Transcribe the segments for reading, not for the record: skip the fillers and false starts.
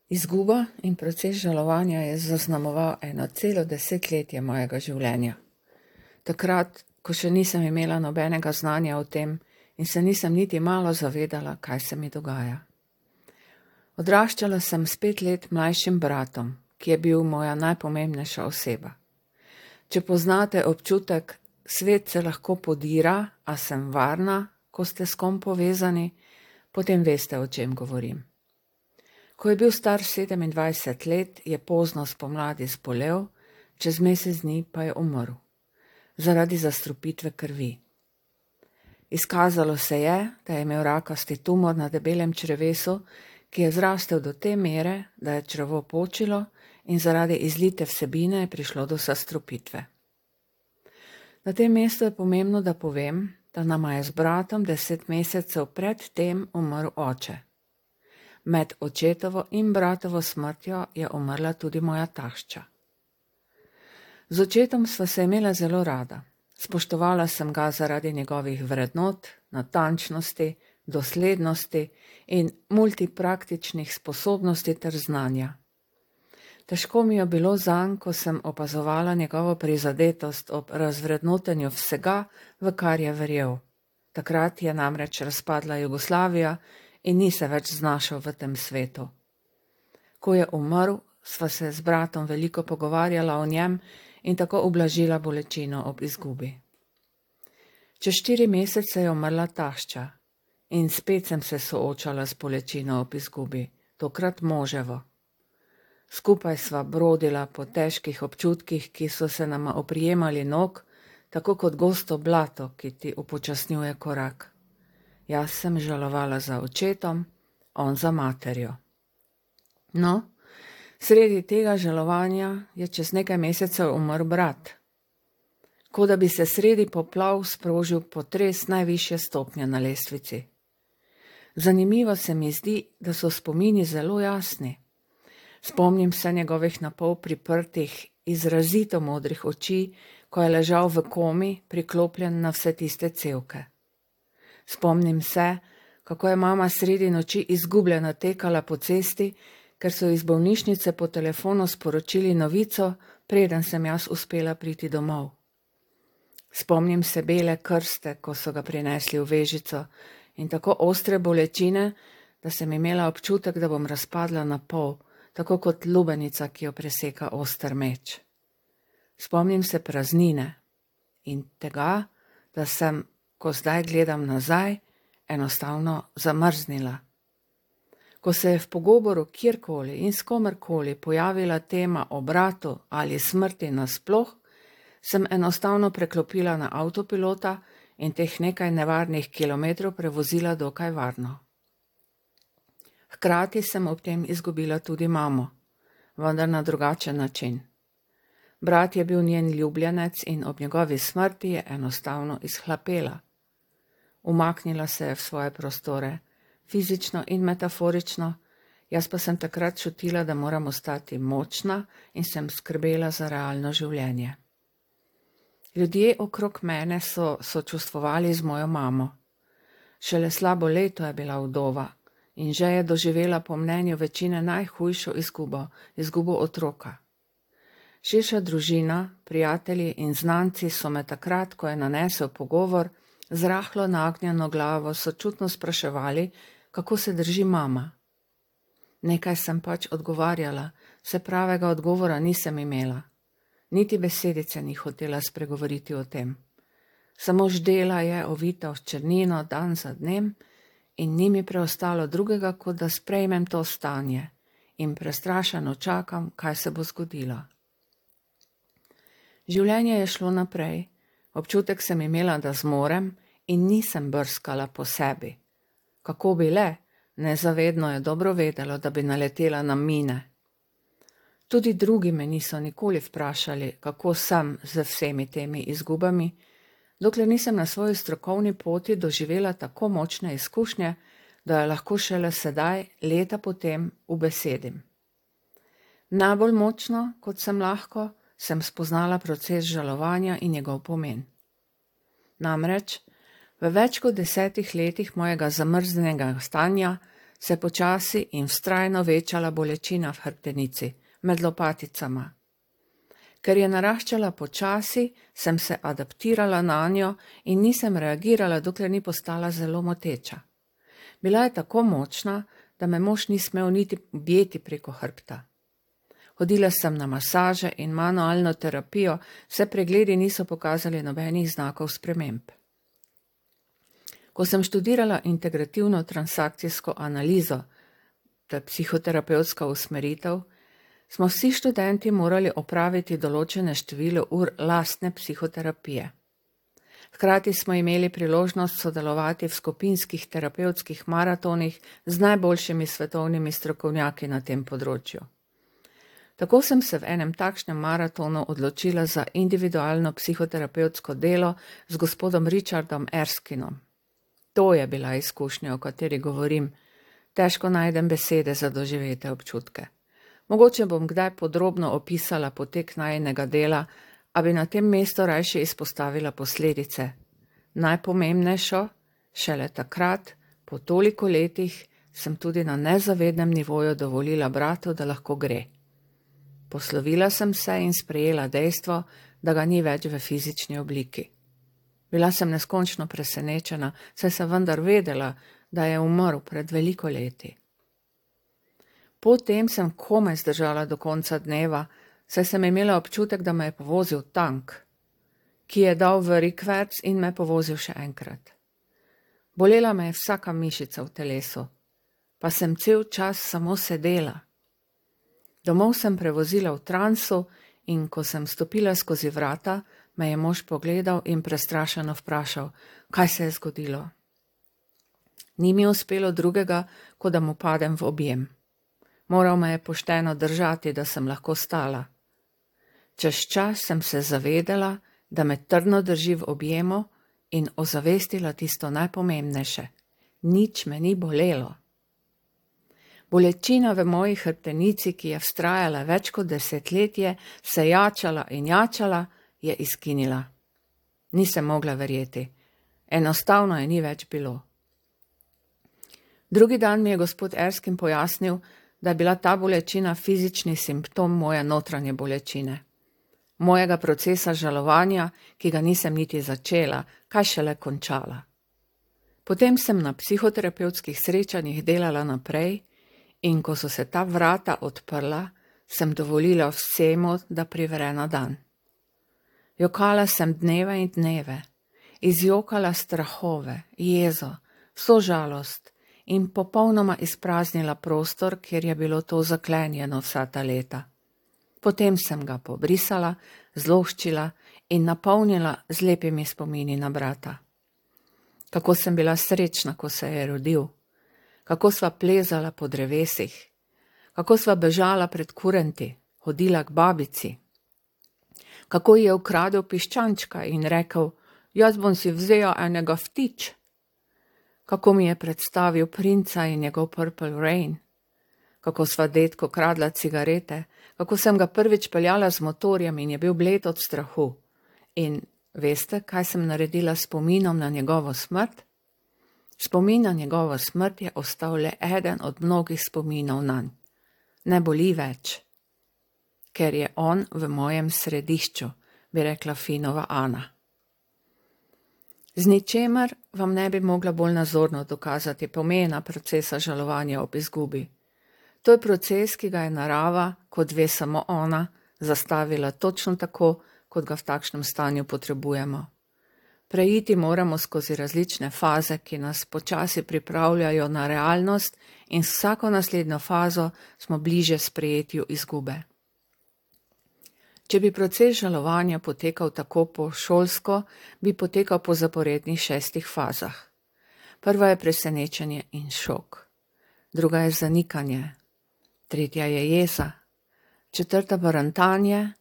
Izguba in proces žalovanja je zaznamoval eno celo desetletje mojega življenja. Takrat, ko še nisem imela nobenega znanja o tem in se nisem niti malo zavedala, kaj se mi dogaja. Odraščala sem s 5 let mlajšim bratom, ki je bil moja najpomembnejša oseba. Če poznate občutek, svet se lahko podira, a sem varna, ko ste s kom povezani, potem veste, o čem govorim. Ko je bil star 27 let, je pozno spomladi zbolel, čez mesec dni pa je umrl. Zaradi zastrupitve krvi. Izkazalo se je, da je imel rakasti tumor na debelem črevesu, ki je zrastel do te mere, da je črevo počilo in zaradi izlite vsebine je prišlo do zastrupitve. Na tem mestu je pomembno, da povem, da nama je z bratom 10 mesecev pred tem umrl oče. Med očetovo in bratovo smrtjo je umrla tudi moja tašča. Z očetom sva se imela zelo rada. Spoštovala sem ga zaradi njegovih vrednot, natančnosti, doslednosti in multipraktičnih sposobnosti ter znanja. Težko mi je bilo zanj, ko sem opazovala njegovo prizadetost ob razvrednotenju vsega, v kar je verjel. Takrat je namreč razpadla Jugoslavija in ni se več znašel v tem svetu. Ko je umrl, sva se z bratom veliko pogovarjala o njem in tako ublažila bolečino ob izgubi. Čez 4 mesece je umrla tašča in spet sem se soočala s bolečino ob izgubi, tokrat moževo. Skupaj sva brodila po težkih občutkih, ki so se nama oprijemali nog, tako kot gosto blato, ki ti upočasnjuje korak. Jaz sem žalovala za očetom, on za materjo. No, sredi tega žalovanja je čez nekaj mesecev umrl brat. Kot da bi se sredi poplav sprožil potres najvišje stopnje na lestvici. Zanimivo se mi zdi, da so spomini zelo jasni. Spomnim se njegovih napol priprtih, izrazito modrih oči, ko je ležal v komi, priklopljen na vse tiste cevke. Spomnim se, kako je mama sredi noči izgubljena tekala po cesti, ker so iz bolnišnice po telefonu sporočili novico, preden sem jaz uspela priti domov. Spomnim se bele krste, ko so ga prinesli v vežico, in tako ostre bolečine, da sem imela občutek, da bom razpadla na pol, tako kot lubenica, ki jo preseka oster meč. Spomnim se praznine in tega, da sem, ko zdaj gledam nazaj, enostavno zamrznila. Ko se je v pogovoru kjerkoli in s komerkoli pojavila tema o bratu ali smrti nasploh, sem enostavno preklopila na avtopilota in teh nekaj nevarnih kilometrov prevozila dokaj varno. Hkrati sem ob tem izgubila tudi mamo, vendar na drugačen način. Brat je bil njen ljubljenec in ob njegovi smrti je enostavno izhlapela. Umaknila se je v svoje prostore, fizično in metaforično, jaz pa sem takrat čutila, da moram ostati močna in sem skrbela za realno življenje. Ljudje okrog mene so sočustvovali z mojo mamo. Šele slabo leto je bila vdova in že je doživela po mnenju večine najhujšo izgubo otroka. Širša družina, prijatelji in znanci so me takrat, ko je nanesel pogovor, z rahlo nagnjeno glavo sočutno spraševali, kako se drži mama. Nekaj sem pač odgovarjala, se pravega odgovora nisem imela. Niti besedice ni hotela spregovoriti o tem. Samo ždela je ovita v črnino dan za dnem in ni mi preostalo drugega, kot da sprejmem to stanje in prestrašeno čakam, kaj se bo zgodilo. Življenje je šlo naprej, občutek sem imela, da zmorem in nisem brskala po sebi. Kako bi le, nezavedno je dobro vedelo, da bi naletela na mine. Tudi drugi me niso nikoli vprašali, kako sem z vsemi temi izgubami, dokler nisem na svoji strokovni poti doživela tako močne izkušnje, da jo lahko šele sedaj, leta potem, ubesedim. Najbolj močno, kot sem lahko, sem spoznala proces žalovanja in njegov pomen. Namreč, v več kot 10 letih mojega zamrznjenega stanja se počasi in vztrajno večala bolečina v hrbtenici, med lopaticama. Ker je naraščala počasi, sem se adaptirala nanjo in nisem reagirala, dokler ni postala zelo moteča. Bila je tako močna, da me mož ni smel niti objeti preko hrbta. Hodila sem na masaže in manualno terapijo, vse pregledi niso pokazali nobenih znakov sprememb. Ko sem študirala integrativno transakcijsko analizo, to je psihoterapevtska usmeritev, smo vsi študenti morali opraviti določene število ur lastne psihoterapije. Hkrati smo imeli priložnost sodelovati v skupinskih terapevtskih maratonih z najboljšimi svetovnimi strokovnjaki na tem področju. Tako sem se v enem takšnem maratonu odločila za individualno psihoterapevtsko delo z gospodom Richardom Erskinom. To je bila izkušnja, o kateri govorim. Težko najdem besede za doživete občutke. Mogoče bom kdaj podrobno opisala potek najinega dela, a bi na tem mestu rajše izpostavila posledice. Najpomembnejšo, šele takrat, po toliko letih, sem tudi na nezavednem nivoju dovolila bratu, da lahko gre. Poslovila sem se in sprejela dejstvo, da ga ni več v fizični obliki. Bila sem neskončno presenečena, saj sem vendar vedela, da je umrl pred veliko leti. Potem sem komaj zdržala do konca dneva, saj sem imela občutek, da me je povozil tank, ki je dal v rikverc in me povozil še enkrat. Bolela me je vsaka mišica v telesu, pa sem cel čas samo sedela. Domov sem prevozila v transu in ko sem stopila skozi vrata, me je mož pogledal in prestrašeno vprašal, kaj se je zgodilo. Ni mi uspelo drugega, kot da mu padem v objem. Moral me je pošteno držati, da sem lahko stala. Čez čas sem se zavedala, da me trdno drži v objemu in ozavestila tisto najpomembnejše. Nič me ni bolelo. Bolečina v moji hrbtenici, ki je vztrajala več kot desetletje, se jačala in jačala, je izginila. Nisem mogla verjeti. Enostavno je ni več bilo. Drugi dan mi je gospod Erskin pojasnil, da je bila ta bolečina fizični simptom moje notranje bolečine. Mojega procesa žalovanja, ki ga nisem niti začela, kaj šele končala. Potem sem na psihoterapevtskih srečanjih delala naprej in ko so se ta vrata odprla, sem dovolila vsemu, da privre na dan. Jokala sem dneve in dneve, izjokala strahove, jezo, vso žalost in popolnoma izpraznila prostor, kjer je bilo to zaklenjeno vsa ta leta. Potem sem ga pobrisala, zloščila in napolnila z lepimi spomini na brata. Kako sem bila srečna, ko se je rodil, kako sva plezala po drevesih, kako sva bežala pred kurenti, hodila k babici, kako je ukradel piščančka in rekel, jaz bom si vzel enega vtič, kako mi je predstavil princa in njegov Purple Rain, kako sva dedko kradla cigarete, kako sem ga prvič peljala z motorjem in je bil bled od strahu. In veste, kaj sem naredila s spominom na njegovo smrt? Spomin na njegovo smrt je ostal le eden od mnogih spominov nanj. Ne boli več, ker je on v mojem središču, bi rekla Finova Ana. Z ničemer vam ne bi mogla bolj nazorno dokazati pomena procesa žalovanja ob izgubi. To je proces, ki ga je narava, kot ve samo ona, zastavila točno tako, kot ga v takšnem stanju potrebujemo. Preiti moramo skozi različne faze, ki nas počasi pripravljajo na realnost in s vsako naslednjo fazo smo bliže sprejetju izgube. Če bi proces žalovanja potekal tako po šolsko, bi potekal po zaporednih 6 fazah. Prva je presenečenje in šok. Druga je zanikanje. Tretja je jeza. Četrta barantanje,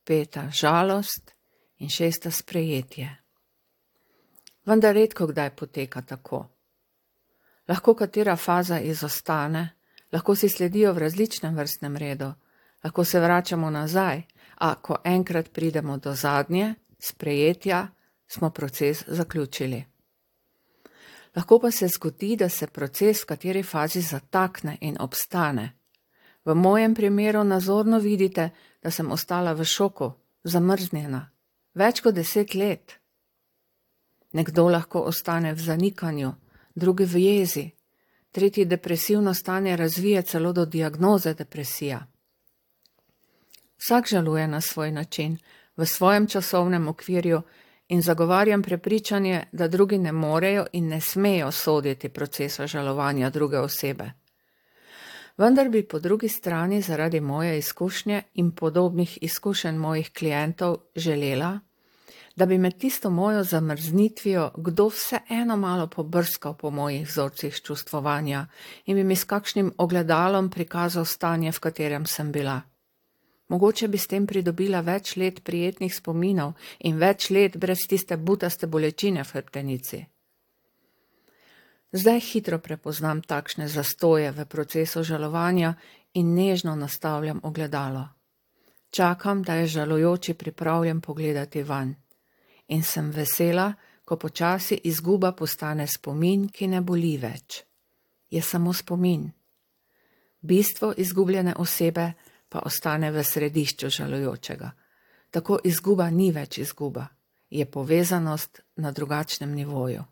5. žalost in 6. sprejetje. Vendar redko kdaj poteka tako. Lahko katera faza izostane, lahko si sledijo v različnem vrstnem redu, lahko se vračamo nazaj, a ko enkrat pridemo do zadnje, sprejetja, smo proces zaključili. Lahko pa se zgodi, da se proces v kateri fazi zatakne in obstane. V mojem primeru nazorno vidite, da sem ostala v šoku, zamrznjena, več kot 10 let. Nekdo lahko ostane v zanikanju, drugi v jezi, tretji depresivno stanje razvije celo do diagnoze depresija. Vsak žaluje na svoj način, v svojem časovnem okvirju in zagovarjam prepričanje, da drugi ne morejo in ne smejo soditi procesa žalovanja druge osebe. Vendar bi po drugi strani zaradi moje izkušnje in podobnih izkušenj mojih klientov želela, da bi med tisto mojo zamrznitvijo kdo vseeno malo pobrskal po mojih vzorcih čustvovanja in bi mi s kakšnim ogledalom prikazal stanje, v katerem sem bila. Mogoče bi s tem pridobila več let prijetnih spominov in več let brez tiste butaste bolečine v hrbtenici. Zdaj hitro prepoznam takšne zastoje v procesu žalovanja in nežno nastavljam ogledalo. Čakam, da je žalujoči pripravljen pogledati vanj. In sem vesela, ko počasi izguba postane spomin, ki ne boli več. Je samo spomin. Bistvo izgubljene osebe pa ostane v središču žalujočega. Tako izguba ni več izguba, je povezanost na drugačnem nivoju.